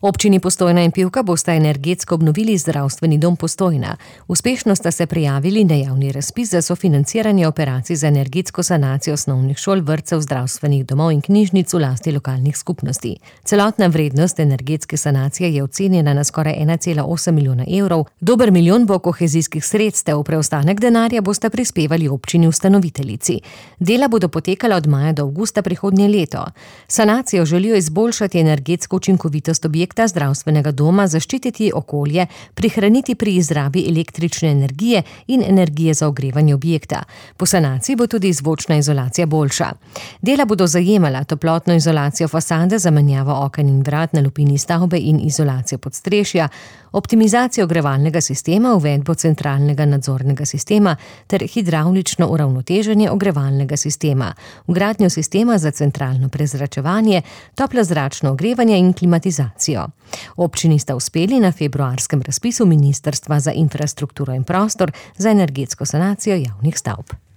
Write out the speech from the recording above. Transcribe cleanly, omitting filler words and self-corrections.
Občini Postojna in Pivka bosta energetsko obnovili zdravstveni dom Postojna. Uspešno sta se prijavili na javni razpis za sofinanciranje operacij za energetsko sanacijo osnovnih šol, vrtcev, zdravstvenih domov in knjižnic v lasti lokalnih skupnosti. Celotna vrednost energetske sanacije je ocenjena na skoraj 1,8 milijona evrov. Dober milijon bo kohezijskih sredstev, preostanek denarja bosta prispevali občini ustanoviteljici. Dela bodo potekala od maja do avgusta prihodnje leto. Sanacijo želijo izboljšati energetsko učinkovitost objekta zdravstvenega doma, zaščititi okolje, prihraniti pri izrabi električne energije in energije za ogrevanje objekta. Po sanaciji bo tudi zvočna izolacija boljša. Dela bodo zajemala toplotno izolacijo fasade, zamenjavo oken in vrat na lupini stavbe in izolacijo podstrešja, optimizacijo ogrevalnega sistema, uvedbo centralnega nadzornega sistema ter hidravlično uravnoteženje ogrevalnega sistema, vgradnjo sistema za centralno prezračevanje, toplozračno ogrevanje in klimatizacijo. Občini sta uspeli na februarskem razpisu Ministrstva za infrastrukturo in prostor za energetsko sanacijo javnih stavb.